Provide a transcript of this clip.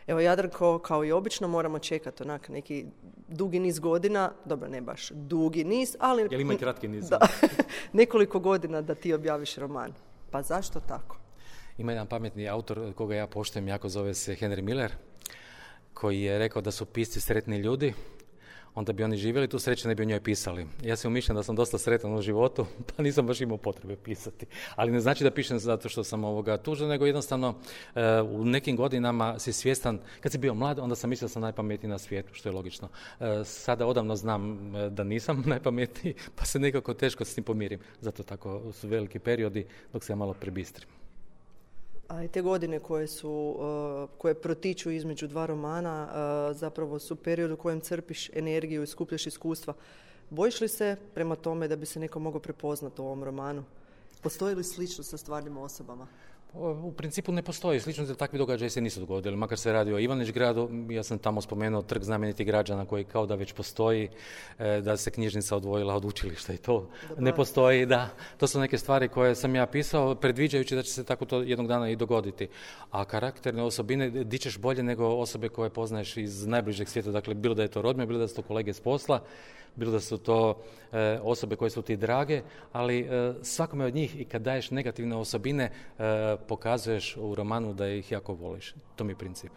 Evo, Jadranko, kao i obično, moramo čekati onak neki dugi niz godina, dobro, ne baš dugi niz, ali... Jel ima i kratki niz? Da, nekoliko godina da ti objaviš roman. Pa zašto tako? Ima jedan pametni autor koga ja poštujem, jako zove se Henry Miller, koji je rekao da su pisci sretni ljudi, onda bi oni živjeli tu sreće, ne bi o njoj pisali. Ja sam umišljen da sam dosta sretan u životu, pa nisam baš imao potrebe pisati. Ali ne znači da pišem zato što sam tužan, nego jednostavno u nekim godinama si svjestan, kad si bio mlad, onda sam mislio da sam najpametniji na svijetu, što je logično. Sada odavno znam da nisam najpametniji, pa se nekako teško s tim pomirim. Zato tako su veliki periodi dok se ja malo prebistrim. A i te godine koje protiču između dva romana zapravo su period u kojem crpiš energiju i skupljaš iskustva. Bojiš li se prema tome da bi se neko mogao prepoznati u ovom romanu? Postoji li slično sa stvarnim osobama? U principu ne postoji. Slično da takvi događaji se nisu dogodili. Makar se radi o Ivanić gradu, ja sam tamo spomenuo trg znamenitih građana koji kao da već postoji, da se knjižnica odvojila od učilišta i to ne postoji. Da, to su neke stvari koje sam ja pisao, predviđajući da će se tako to jednog dana i dogoditi. A karakterne osobine dičeš bolje nego osobe koje poznaješ iz najbližeg svijeta. Dakle, bilo da je to rodbina, bilo da su to kolege s posla, bilo da su to osobe koje su ti drage, ali svakome od njih i kad daješ negativne osobine pokazuješ u romanu da ih jako voliš. To mi je princip.